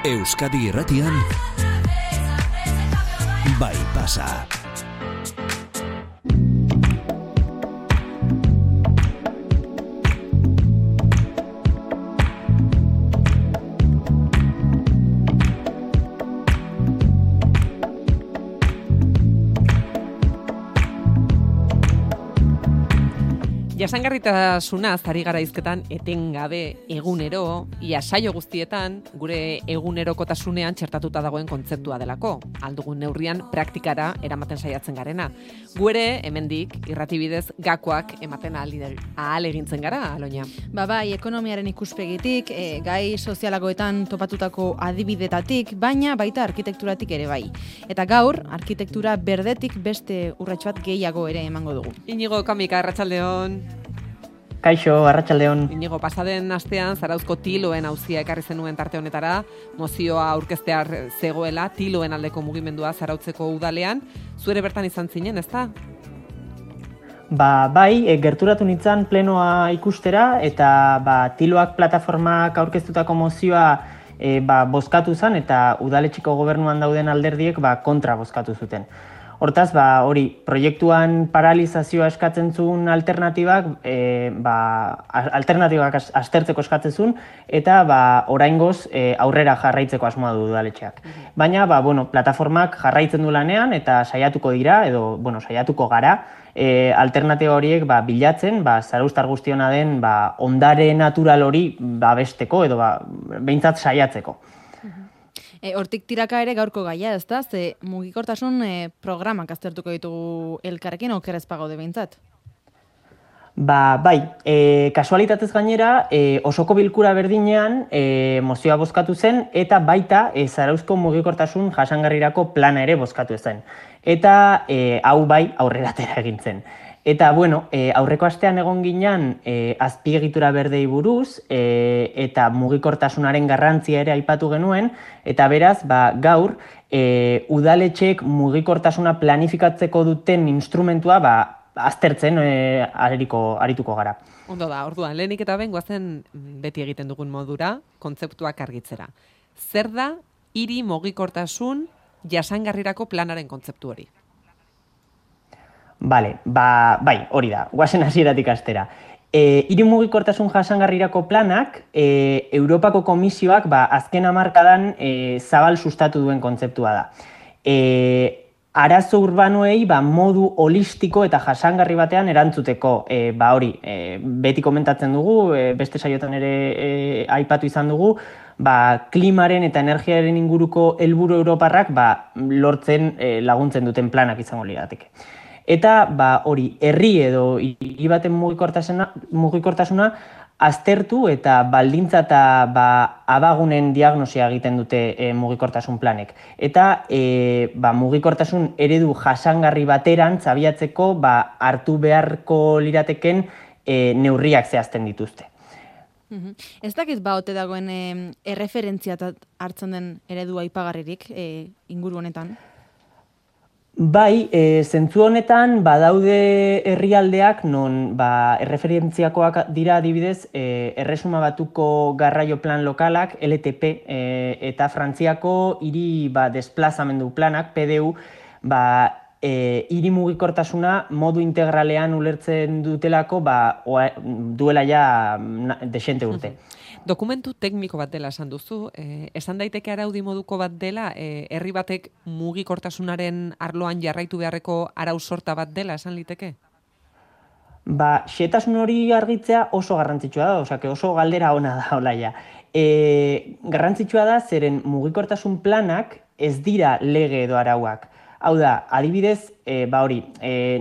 Euskadi Irratian Bai Pasa. Jasangarritasunaz ari gara hizketan etengabe egunero, ia saio guztietan gure egunerokotasunean txertatuta dagoen kontzeptua delako. Aldugun neurrian praktikara eramaten saiatzen garena. Gu ere hemendik irratibidez gakoak ematen ahal egintzen gara, Aloña. Bai, ekonomiaren ikuspegitik, gai sozialagoetan topatutako adibidetatik, baina baita arkitekturatik ere bai. Eta gaur, arkitektura berdetik beste urrats bat gehiago ere emango dugu. Inigo Kamika, arratsaldeon. Kaixo, arratsaldeon. Inigo, pasaden astean Zarauzko tiloen auzia ekarri zenuen tarte honetara, mozioa aurkeztear zegoela, tiloen aldeko mugimendua Zarautzeko udalean. Zuere bertan izan zinen, ezta? Bai, gerturatu nintzen plenoa ikustera, eta tiloak plataformak aurkeztutako mozioa bozkatu zen, eta udaletxeko gobernuan dauden alderdiek kontra bozkatu zuten. Hortaz, hori, proiektuan paralizazioa eskatzen zuen alternatibak aztertzeko eskatzen zuen, eta oraingoz aurrera jarraitzeko asmoa du udaletxeak. Baina, plataformak jarraitzen du lanean, eta saiatuko dira, saiatuko gara, alternatiba horiek bilatzen, zarauztar guztiona den ondare natural hori besteko, edo behintzat saiatzeko. Hortik tiraka ere gaurko gaia, ezta? Ze mugikortasun programak aztertuko ditugu elkarrekin, okerrez pagaude behintzat? Bai, kasualitatez gainera, osoko bilkura berdinean mozioa bozkatu zen, eta baita Zarauzko mugikortasun jasangarrirako plana ere bozkatu zen. Eta hau bai aurrera atera egin zen. Eta, aurreko astean egon ginen azpiegitura berdei buruz, eta mugikortasunaren garrantzia ere aipatu genuen, eta beraz, gaur, udaletxeek mugikortasuna planifikatzeko duten instrumentua aztertzen arituko gara. Ondo da, orduan, lehenik eta ben goazen beti egiten dugun modura, kontzeptuak argitzera. Zer da hiri mugikortasun jasangarrirako planaren kontzeptu hori? Bai, hori da, guazen hasieratik astera. Hiri mugikortasun jasangarrirako planak, Europako Komisioak azken hamarkadan zabal sustatu duen kontzeptua da. Arazo urbanoei modu holistiko eta jasangarri batean erantzuteko, hori, beti komentatzen dugu, beste saiotan ere aipatu izan dugu, klimaren eta energiaren inguruko helburu europarrak lortzen laguntzen duten planak izango lirateke. Eta hori, herri edo hiri baten mugikortasuna aztertu eta baldintza eta abagunen diagnosia egiten dute mugikortasun planek. Eta mugikortasun eredu jasangarri bateran zabiatzeko hartu beharko lirateken neurriak zehazten dituzte. Ez dakit ote dagoen erreferentzia hartzen den eredu aipagarririk inguru honetan? Bai, zentzu honetan badaude herrialdeak non erreferentziakoak dira adibidez Erresuma Batuko garraio plan lokalak, LTP, eta Frantziako hiri desplazamendu planak, PDU, hiri mugikortasuna modu integralean ulertzen dutelako duela ja desente urte. Dokumentu tekniko bat dela esan duzu, esan daiteke araudi moduko bat dela, herri batek mugikortasunaren arloan jarraitu beharreko arau sorta bat dela esan liteke? Xehetasun hori argitzea oso garrantzitsua da, oso galdera ona da, olaia. Garrantzitsua da, zeren mugikortasun planak ez dira lege edo arauak. Hau da, adibidez,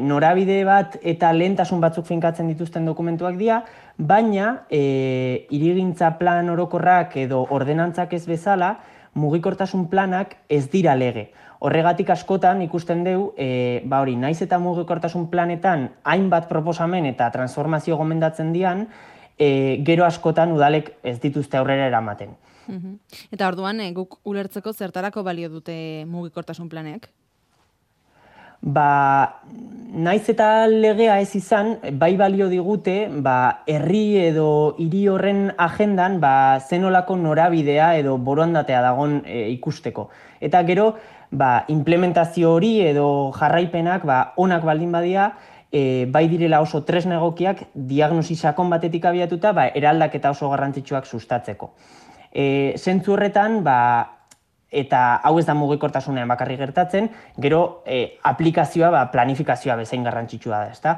norabide bat eta lehentasun batzuk finkatzen dituzten dokumentuak dira, baina hirigintza plan orokorrak edo ordenantzak ez bezala, mugikortasun planak ez dira lege. Horregatik askotan ikusten dugu, naiz eta mugikortasun planetan hainbat proposamen eta transformazio gomendatzen dian, gero askotan udalek ez dituzte aurrera eramaten. Eta orduan, guk ulertzeko zertarako balio dute mugikortasun planek? Naiz eta legea ez izan, bai balio digute, herri edo hiri horren agendan, zenolako norabidea edo borondatea dagon ikusteko. Eta gero, implementazio hori edo jarraipenak onak baldin badia, bai direla oso tresna egokiak diagnosi sakon batetik abiatuta, eraldaketa oso garrantzitsuak sustatzeko. Zentzu horretan, eta hau ez da mugikortasunean bakarrik gertatzen, gero aplikazioa planifikazioa bezain garrantzitsua da, ezta?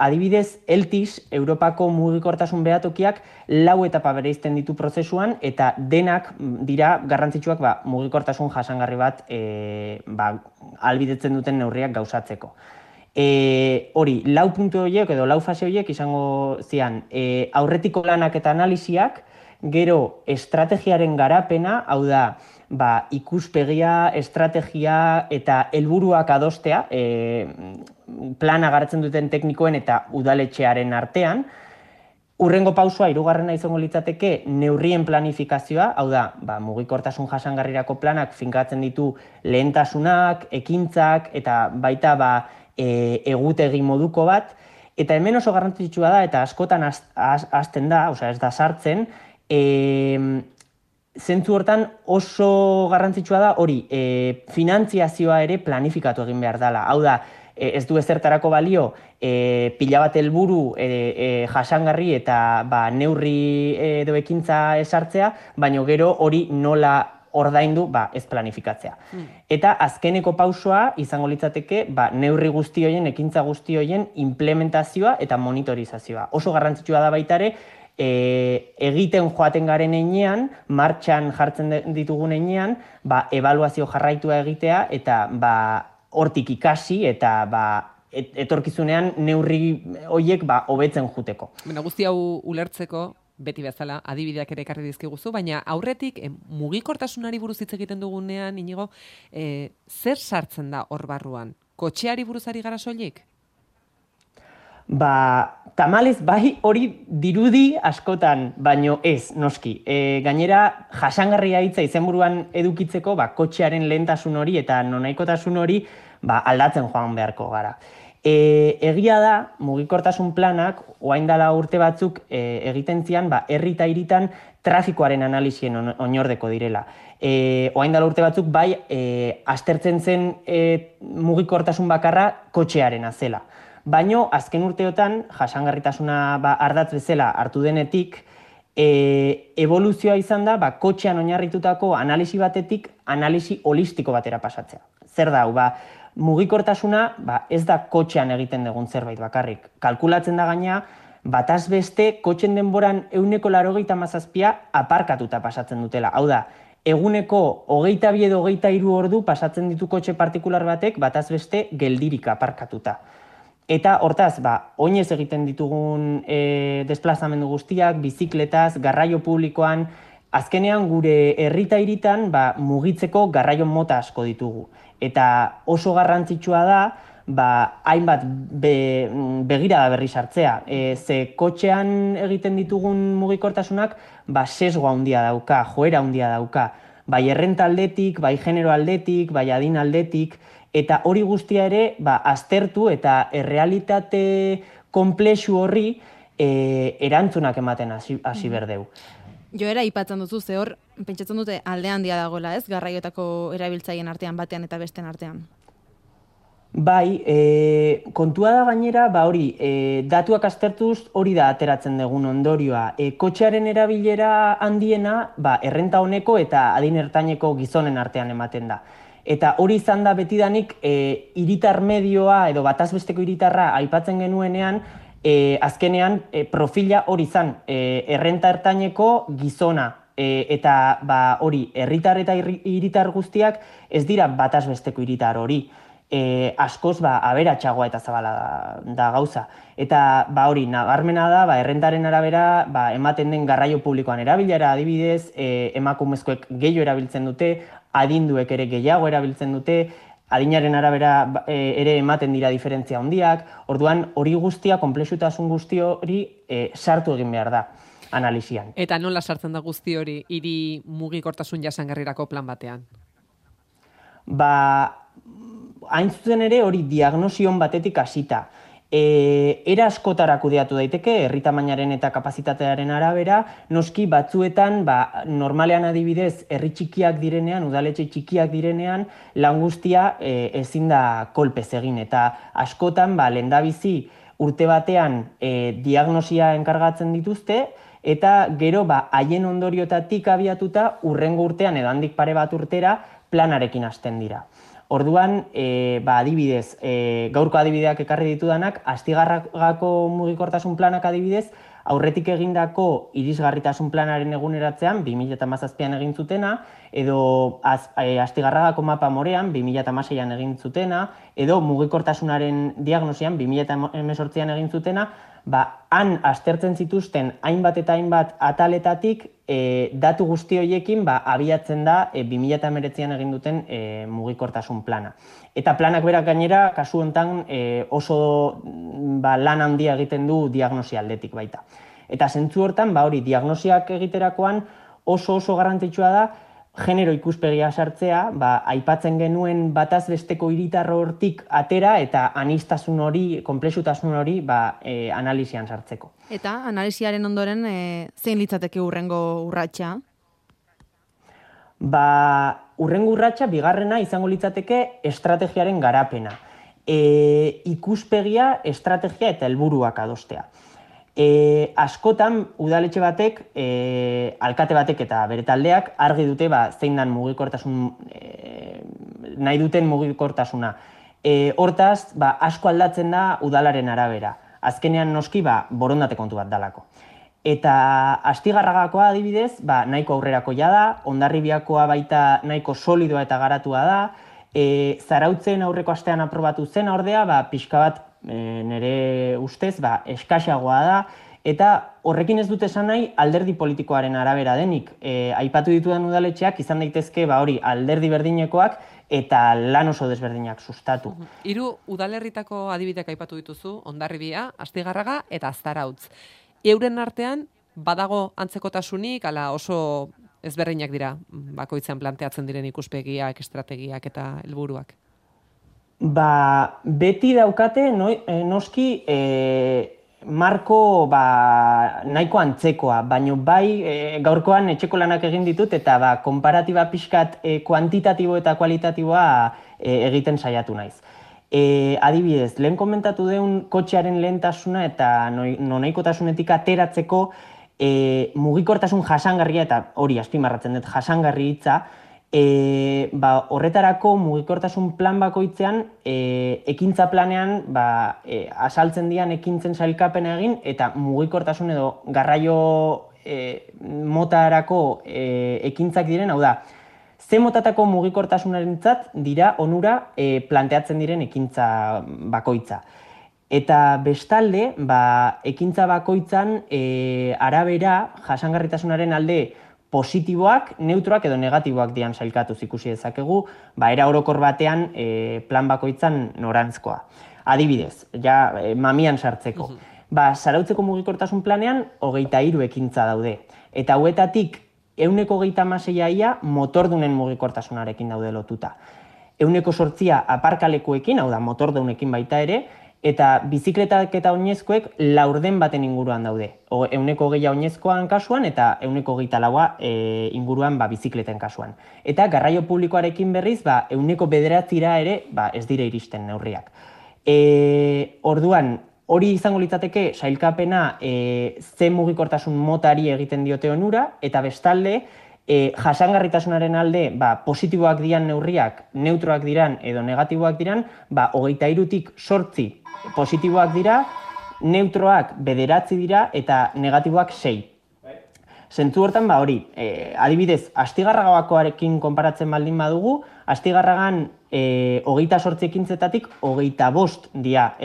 Adibidez, ELTIS, Europako mugikortasun behatokiak, 4 etapa bereizten ditu prozesuan, eta denak dira garrantzitsuak mugikortasun jasangarri bat ahalbidetzen duten neurriak gauzatzeko. Hori, 4 puntu horiek edo 4 fase horiek izango zian aurretiko lanak eta analisiak, gero estrategiaren garapena, hau da, ikuspegia, estrategia eta helburuak adostea, plana garatzen duten teknikoen eta udaletxearen artean. Hurrengo pausua, 3. izango litzateke, neurrien planifikazioa, hau da, mugikortasun jasangarrirako planak finkatzen ditu lehentasunak, ekintzak, eta baita egutegi moduko bat. Eta hemen oso garrantzitsua da, eta askotan hasten da, ez da sartzen, zentzu hortan oso garrantzitsua da hori, finantziazioa ere planifikatu egin behar dela. Hau da, ez du ezertarako balio, pila bat helburu jasangarri eta neurri edo ekintza esartzea, baina gero hori nola ordaindu ez planifikatzea. Eta azkeneko pausoa izango litzateke neurri guzti horien, ekintza guzti horien implementazioa eta monitorizazioa. Oso garrantzitsua da baita ere, egiten joaten garen heinean, martxan jartzen ditugun heinean, ebaluazio jarraitua egitea eta hortik ikasi eta etorkizunean neurri horiek hobetzen juteko. Guzti hau ulertzeko, beti bezala, adibideak ere ekarri dizkiguzu, baina aurretik mugikortasunari buruz hitz egiten dugunean, Inigo, zer sartzen da hor barruan? Kotxeari buruzari gara soilik? Tamalez, bai hori dirudi askotan, baino ez, noski. Gainera, jasangarria hitza izenburuan edukitzeko, kotxearen lehentasun hori eta nonaikotasun hori aldatzen joan beharko gara. Egia da, mugikortasun planak, orain dela urte batzuk egiten zian, herri eta hiritan trafikoaren analisien oinordeko direla. Orain dela urte batzuk, bai, aztertzen zen mugikortasun bakarra kotxearena zela. Baino, azken urteotan, jasangarritasuna ardatz bezala hartu denetik, evoluzioa izan da, kotxean oinarritutako analisi batetik, analisi holistiko batera pasatzea. Zer da, mugikortasuna ez da kotxean egiten dugun zerbait bakarrik. Kalkulatzen da gaina, bataz beste, kotxen denboran 97% aparkatuta pasatzen dutela. Hau da, eguneko 22 edo 23 ordu pasatzen ditu kotxe partikular batek, bataz beste geldirik aparkatuta. Eta hortaz, oinez egiten ditugun desplazamendu guztiak, bizikletaz, garraio publikoan, azkenean gure herri eta hiritan mugitzeko garraio mota asko ditugu. Eta oso garrantzitsua da, hainbat begirada berri sartzea. Ze kotxean egiten ditugun mugikortasunak, sesgo handia dauka, joera handia dauka. Bai errenta aldetik, bai genero aldetik, bai adin aldetik, eta hori guztia ere aztertu eta errealitate konplexu horri erantzunak ematen hasi berdeu. Joera aipatzen duzu, ze hor, pentsatzen dute alde handia dagoela, ez? Garraioetako erabiltzaileen artean batean eta besten artean. Bai, kontua da gainera, hori, datuak aztertuz hori da ateratzen dugun ondorioa. Kotxearen erabilera handiena, errenta honeko eta adin ertaineko gizonen artean ematen da. Eta hori izan da betidanik hiritar medioa edo bataz besteko hiritarra aipatzen genuenean, azkenean profila hori izan, errenta ertaineko gizona. Eta hori, herritar eta hiritar guztiak ez dira bataz besteko hiritar hori. Askoz aberatsagoa eta zabala da gauza. Eta hori, nabarmena da, errentaren arabera ematen den garraio publikoan erabilera, adibidez, emakumezkoek gehiago erabiltzen dute, adinduek ere gehiago erabiltzen dute, adinaren arabera ere ematen dira diferentzia handiak, orduan hori guztia, konplexutasun guzti hori sartu egin behar da analisian. Eta nola sartzen da guzti hori hiri mugikortasun jasangarrirako plan batean? hain zuzen ere hori diagnosion batetik hasita. Era askotara kudeatu daiteke, herri tamainaren eta kapazitatearen arabera, noski batzuetan, normalean adibidez, herri txikiak direnean, udaletxe txikiak direnean, lan guztia ezin da kolpez egin, eta askotan, lehendabizi urte batean diagnosia enkargatzen dituzte, eta gero haien ondoriotatik abiatuta urrengo urtean edo handik pare bat urtera planarekin hasten dira. Orduan, adibidez, gaurko adibideak ekarri ditudanak, Astigarragako mugikortasun planak adibidez, aurretik egindako irisgarritasun planaren eguneratzean, 2017an egin zutena, edo Astigarragako mapa morean, 2016an egin zutena, edo mugikortasunaren diagnosian, 2018an egin zutena, han aztertzen zituzten hainbat eta hainbat ataletatik datu guzti horiekin abiatzen da 2019an egin duten mugikortasun plana. Eta planak berak gainera, kasu honetan oso lan handia egiten du diagnosi aldetik baita. Eta zentzu hortan, hori diagnosiak egiterakoan oso garrantzitsua da genero ikuspegia sartzea, aipatzen genuen bataz besteko hiritarro hortik atera eta aniztasun hori, konplexutasun hori analisian sartzeko. Eta analisiaren ondoren zein litzateke urrengo urratsa? Urrengo urratsa bigarrena izango litzateke estrategiaren garapena. Ikuspegia, estrategia eta helburuak adostea. Askotan udaletxe batek, alkate batek eta bere taldeak argi dute zein dan mugikortasun nahi duten mugikortasuna. Hortaz, asko aldatzen da udalaren arabera. Azkenean noski borondate kontu bat dalako. Eta Astigarragakoa adibidez, nahiko aurrerakoia da, Hondarribiakoa baita nahiko solidoa eta garatua da, Zarautzen aurreko astean aprobatu zen ordea, pixka bat nire ustez, eskaxagoa da, eta horrekin ez dut esan nahi alderdi politikoaren arabera denik. Aipatu ditudan udaletxeak izan daitezke hori alderdi berdinekoak eta lan oso desberdinak sustatu. 3 udalerritako adibideak aipatu dituzu, Hondarribia, Astigarraga eta Zarautz. Euren artean badago antzekotasunik, ala oso ezberdinak dira bakoitzean planteatzen diren ikuspegiak, estrategiak eta helburuak? Beti daukate noski marko nahiko antzekoa, baina gaurkoan etxeko lanak egin ditut eta konparatiba pixkat kuantitatibo eta kualitatiboa egiten saiatu naiz. Adibidez, lehen komentatu deun kotxearen lehentasuna eta nonaikotasunetik ateratzeko mugikortasun jasangarria, eta hori azpimarratzen dut jasangarri hitza, horretarako mugikortasun plan bakoitzean ekintza planean azaltzen dian ekintzen sailkapena egin eta mugikortasun edo garraio motarako ekintzak diren, hau da, ze motatako mugikortasunarentzat dira onura planteatzen diren ekintza bakoitza. Eta bestalde, ekintza bakoitzan arabera jasangarritasunaren alde positiboak, neutroak edo negatiboak dian sailkatuz ikusi dezakegu, era orokor batean plan bakoitzan norantzkoa. Adibidez, mamian sartzeko. Zarautzeko mugikortasun planean 23 ekintza daude. Eta hauetatik 126 motordunen mugikortasunarekin daude lotuta. 108 aparkalekuekin, hau da motordunekin baita ere, eta bizikletak eta oinezkoek laurden baten inguruan daude. 120 oinezkoan kasuan eta 124 inguruan bizikleten kasuan. Eta garraio publikoarekin berriz, 9%ra ere ez dire iristen neurriak. Orduan, hori izango litzateke sailkapena ze mugikortasun motari egiten diote onura, eta bestalde, jasangarritasunaren alde positiboak diran neurriak, neutroak diran edo negatiboak diran, 23tik 8 positiboak dira, neutroak 9 dira eta negatiboak 6. Zentzu hortan hori, adibidez, Astigarragakoarekin konparatzen baldin badugu, Astigarragan 28 ekintzetatik 25 dira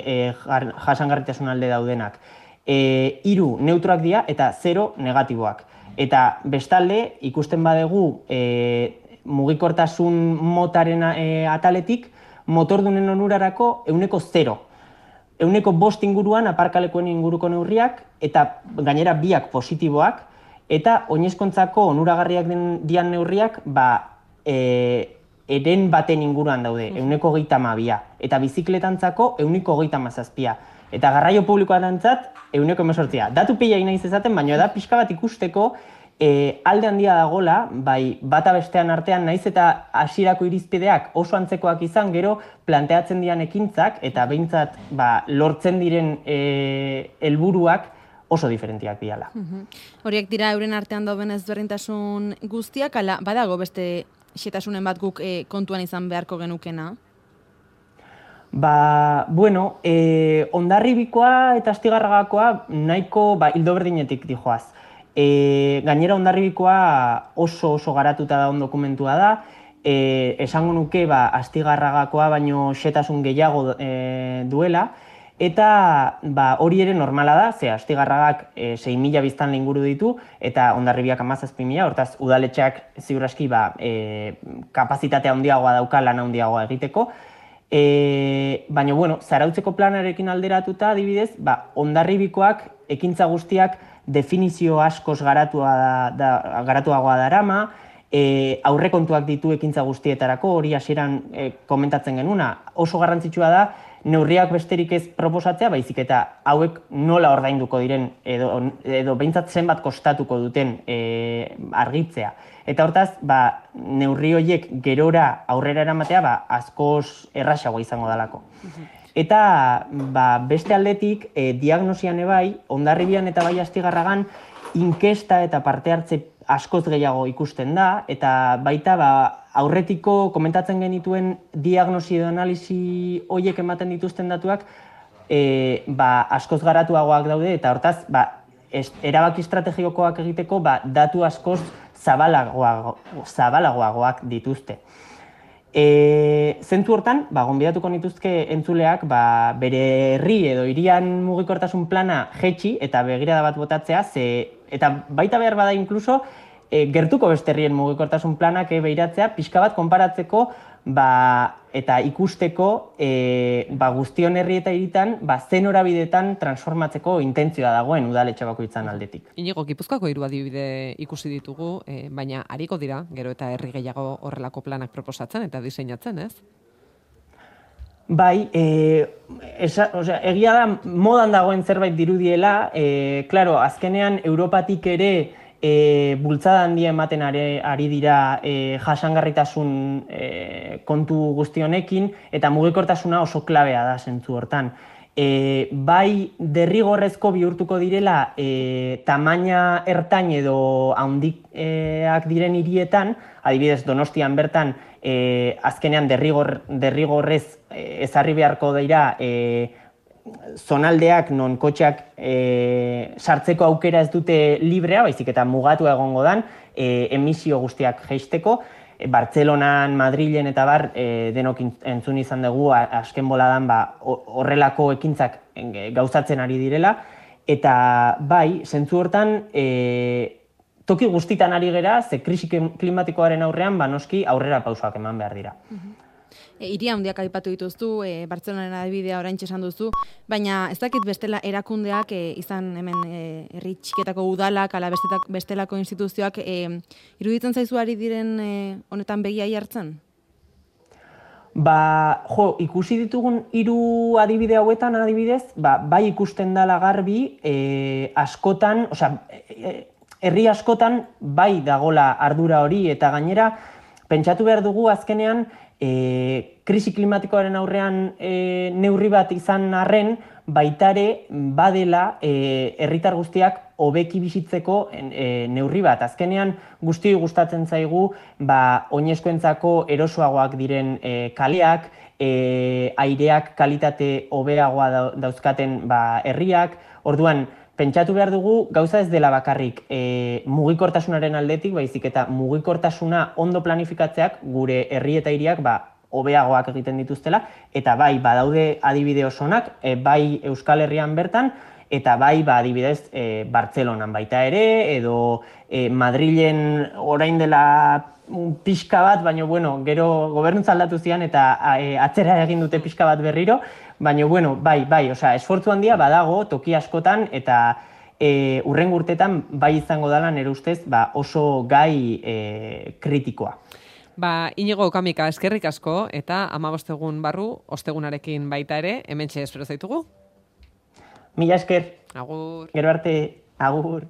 jasangarritasun alde daudenak. 3 neutroak dira eta 0 negatiboak. Eta bestalde, ikusten badegu mugikortasun motaren ataletik, motordunen onurarako 0%. 5% inguruan aparkalekuen inguruko neurriak, eta gainera biak positiboak, eta oinezkontzako onuragarriak dian neurriak eren baten inguruan daude, 132, eta bizikletantzako 137, eta garraio publikoarentzat 118. Datu pila inaiz ezaten, baina da pixka bat ikusteko alde handia dagola, bai bata bestean artean naiz eta hasierako irizpideak oso antzekoak izan, gero planteatzen dian ekintzak eta behintzat lortzen diren helburuak oso diferentiak diala. Horiek dira euren artean dauden ezberdintasun guztiak, ala badago beste xetasunen bat guk kontuan izan beharko genukena? Bueno, Hondarribikoa eta Astigarragakoa nahiko hildo berdinetik dijoaz. Gainera Hondarribikoa oso garatuta dagoen dokumentua da, esango nuke Astigarragakoa baino xetasun gehiago duela, eta hori ere normala da, ze Astigarragak 6.000 biztanle inguru ditu, eta Hondarribiak 17.000, hortaz udaletxeak ziur aski kapazitatea handiagoa dauka lan handiagoa egiteko. Baina, bueno, Zarautzeko planarekin alderatuta, adibidez, Hondarribikoak ekintza guztiak definizio askoz garatuagoa darama, aurrekontuak ditu ekintza guztietarako, hori hasieran komentatzen genuna. Oso garrantzitsua da, neurriak besterik ez proposatzea, baizik eta hauek nola ordainduko diren edo behintzat zenbat kostatuko duten argitzea. Eta hortaz, neurri horiek gerora aurrera eramatea askoz errazagoa izango dalako. Eta beste aldetik, diagnosian ebai, Hondarribian eta bai Astigarragan inkesta eta parte hartze askoz gehiago ikusten da, eta baita aurretiko komentatzen genituen diagnosi edo analisi horiek ematen dituzten datuak askoz garatuagoak daude, eta hortaz, erabaki estrategikoak egiteko datu askoz zabalagoagoak dituzte. Zentzu hortan, gonbidatuko nituzke entzuleak bere herri edo hirian mugikortasun plana jetxi eta begirada bat botatzea, eta baita behar bada inkluso gertuko beste herrien mugikortasun planak behiratzea, pixka bat konparatzeko eta ikusteko guztion herri eta hiritan zen norabidetan transformatzeko intentzioa dagoen udaletxe bakoitzan aldetik. Inigo, Gipuzkoako 3 adibide ikusi ditugu, baina hariko dira, gero eta herri gehiago horrelako planak proposatzen eta diseinatzen, ez? Bai, egia da modan dagoen zerbait dirudiela, klaro, azkenean Europatik ere bultzada handia ematen ari dira jasangarritasun kontu guztionekin, eta mugikortasuna oso klabea da zentzu hortan. Bai derrigorrezko bihurtuko direla tamaina ertain edo handiak diren hirietan, adibidez Donostian bertan azkenean derrigorrez ezarri beharko dira zonaldeak non kotxeak sartzeko aukera ez dute librea, baizik eta mugatu egongo dan emisio guztiak jeisteko. Bartzelonan, Madrilen eta denok entzun izan dugu azken boladan horrelako ekintzak gauzatzen ari direla. Eta bai, zentzu hortan, toki guztitan ari gera, ze krisi klimatikoaren aurrean, noski aurrera pausoak eman behar dira. Hiri handiak aipatu dituztu, Bartzelonaren adibidea oraintxe esan duzu, baina ez dakit bestela erakundeak izan hemen herri txiketako udalak, ala bestelako instituzioak iruditzen zaizu ari diren honetan begiai hartzen? Ikusi ditugun 3 adibide hauetan adibidez, bai ikusten dela garbi askotan, herri askotan bai dagola ardura hori, eta gainera pentsatu behar dugu azkenean krisi klimatikoaren aurrean neurri bat izan arren, baitare badela herritar guztiak hobeki bizitzeko neurri bat. Azkenean guztioi gustatzen zaigu oinezkoentzako erosoagoak diren kaleak, aireak kalitate hobeagoa dauzkaten herriak. Orduan, pentsatu behar dugu gauza ez dela bakarrik mugikortasunaren aldetik, baizik eta mugikortasuna ondo planifikatzeak gure herri eta hiriak hobeagoak egiten dituztela, eta bai badaude adibide osonak, bai Euskal Herrian bertan, eta bai adibidez Bartzelonan baita ere, edo Madrilen orain dela pixka bat, baina gero gobernuntza aldatu zian eta atzera egin dute pixka bat berriro, baina bai, esfortzu handia badago toki askotan, eta hurrengo urtetan bai izango dela nire ustez oso gai kritikoa. Inigo Okamika, eskerrik asko, eta 15 egun barru, ostegunarekin baita ere, hementxe espero zaitugu. Mila esker. Agur. Gero arte, agur.